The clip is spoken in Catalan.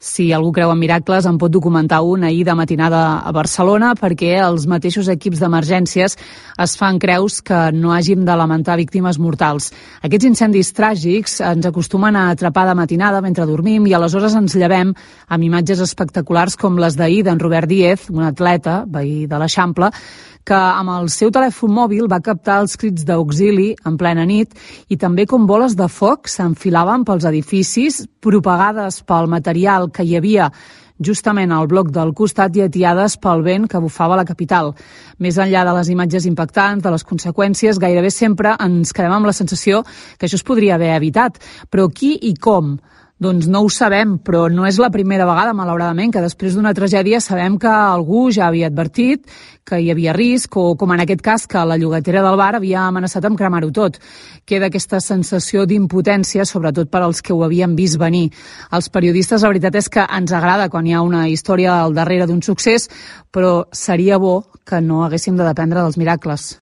Si algú creu en miracles, en pot documentar un ahir de matinada a Barcelona, perquè els mateixos equips d'emergències es fan creus que no hàgim de lamentar víctimes mortals. Aquests incendis tràgics ens acostumen a atrapar de matinada mentre dormim i aleshores ens llevem amb imatges espectaculars com les d'ahir d'en Robert Díez, un atleta, veí de l'Eixample, que amb el seu telèfon mòbil va captar els crits d'auxili en plena nit i també com boles de foc s'enfilaven pels edificis, propagades pel material que hi havia justament al bloc del costat i atiades pel vent que bufava a la capital. Més enllà de les imatges impactants, de les conseqüències, gairebé sempre ens quedem amb la sensació que això es podria haver evitat. Però qui i com? Doncs no ho sabem, però no és la primera vegada, malauradament, que després d'una tragèdia sabem que algú ja havia advertit que hi havia risc, o com en aquest cas que la llogatera del bar havia amenaçat amb cremar-ho tot. Queda aquesta sensació d'impotència, sobretot per als que ho havien vist venir. Els periodistes, la veritat és que ens agrada quan hi ha una història al darrere d'un succés, però seria bo que no haguéssim de dependre dels miracles.